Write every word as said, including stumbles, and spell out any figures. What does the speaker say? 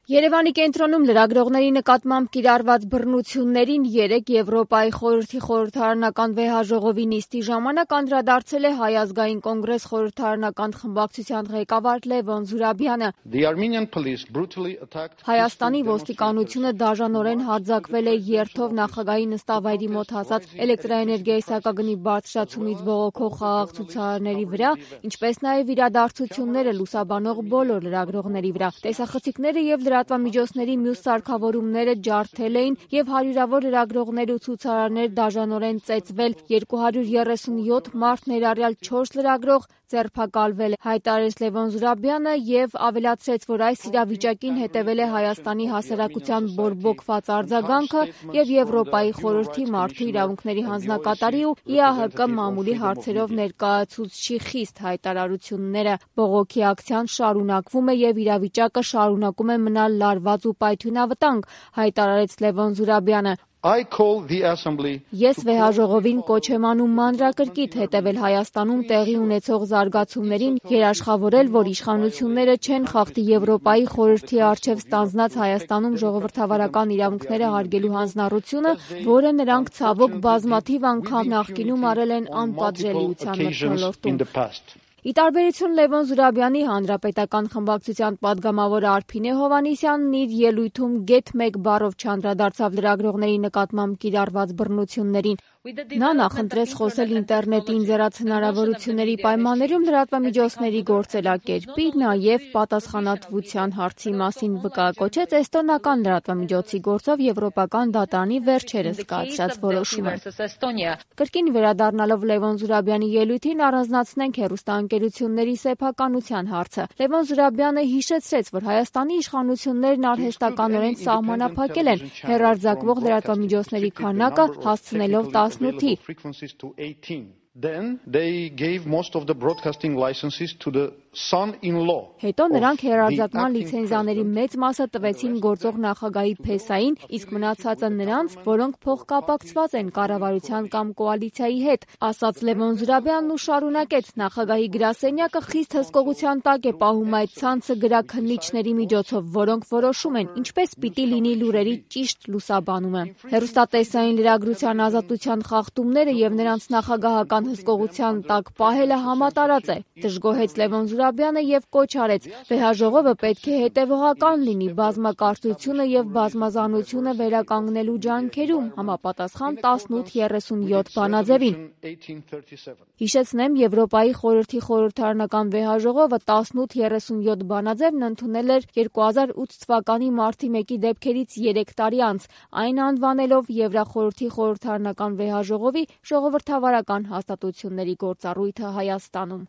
Երևանի կենտրոնում լրագրողների նկատմամբ կիրառված բռնություններին երեկ Եվրոպայի խորհրդի խորհրդարանական վեհաժողովի նիստի ժամանակ անդրադարձել է Հայ ազգային կոնգրես խորհրդարանական խմբակցության ղեկավար Լևոն Զուրաբյանը։ Հայաստանի ոստիկանությունը դաժանորեն հարձակվել է երթով նախագահի նստավայրի մոտ հասած էլեկտրաէներգիայի սակագնի բարձրացումից բողոքող խաղաղ ցուցարարների վրա, ինչպես նաև իրադարձությունները լուսաբանող բոլոր լրագրողների վրա։ Տեսախցիկները և լրատվամիջոցների մյուս սարքավորումները ջարդել էին և հարյուրավոր լրագրողներ ու ցուցարարներ դաժանորեն ծեծվել, երկու հարյուր երեսունյոթ մարդ ներառյալ չորս լրագրող ձերբակալվել է, հայտարարեց Լևոն Զուրաբյանը և ավելացրեց, որ այս իրավիճակին հետևել է Հայաստանի հասարակության բորբոքված արձագանքը և Եվրոպայի խորհրդի մարդու իրավունքների հանձնակատարի ու ի ա հը կը մամուլի հարցերով ներկայացուցչի խիստ հայտարարությունները։ Բողոքի ակցիան շարունակվում է և իրավիճակը շարունակում է մնալ լարված ու պայթյունավտանգ, հայտարարեց Լևոն Զուրաբյանը։ Ես վեհաժողովին կոչ եմ անում մանրակրկիտ հետևել Հայաստանում տեղի ունեցող զարգացումներին, երաշխավորել, որ իշխանությունները չեն խախտի Եվրոպայի խորհրդի առջև ստանձնած Հայաստանում ժողովրդավարական իրավունքները հարգելու հանձնառությունը, որը նրանք ցավոք բազմաթիվ անգամ նախկինում արել են անպատժելիության մթնոլորտում։ Ի տարբերություն Լևոն Զուրաբյանի, Հանրապետական խմբակցության պատգամավոր Արփինե Հովհաննիսյանն իր ելույթում գեթ մեկ բառով չանդրադարձավ լրագրողների նկատմամբ կիրառված բռնություններին։ Նա նախընտրեց խոսել ինտերնետի ընձեռած հնարավորությունների պայմաններում լրատվամիջոցների գործելակերպի, նաև պատասխանատվության հարցի մասին վկայակոչեց էստոնական լրատվամիջոցի գործով Եվրոպական դատարանի վերջերս կայացրած որոշումը։ Կրկին վերադառնալով Լևոն Զուրաբյանի ելույթին առանձնացնենք հեռուստաընկերությունների սեփականության հարցը։ Լևոն Զուրաբյանը հիշեցրեց, որ Հայաստանի իշխանություններն արհեստականորեն սահմանափակել են հեռարձակվող լրատվամիջոցների քանակը, հասցնելով տասնութի։ Հետո նրանք հեռարձակման լիցենզիաների մեծ մասը տվեցին գործող նախագահի փեսային, իսկ մնացածը նրանց, որոնք փոխկապակցված են կառավարության կամ կոալիցիայի հետ, ասաց Լևոն Զուրաբյանն ու շարունակեց. նախագահի գրասենյակը խիստ հսկողության տակ է պահում այդ ցանցը գրաքննիչների միջոցով, որոնք որոշում են, ինչպես պիտի լինի լուրերի ճիշտ լուսաբանումը։ Հեռուստատեսային լրագրության ազատության խախտումները և նրանց նախագահական հսկողության տակ պահելը համատարած է, դժգոհեց Լևոն Զուրաբյանը և կոչ արեց. վեհաժողովը պետք է հետևողական լինի բազմակարծությունը և բազմազանությունը վերականգնելու ջանքերում, համապատասխան տասնութ երեսունյոթ բանաձևին։ Հիշեցնեմ, Եվրոպայի խորհրդի խորհրդարանական վեհաժողովը տասնութ երեսունյոթ բանաձևն ընդունել էր երկու հազար ութ թվականի մարտի մեկի դեպքերից երեք տարի անց, այն անվանելով Եվրախորհրդի խորհրդարանական վեհաժողովի ժողովրդավարական հաստատությունների գործառույթը Հայաստանում։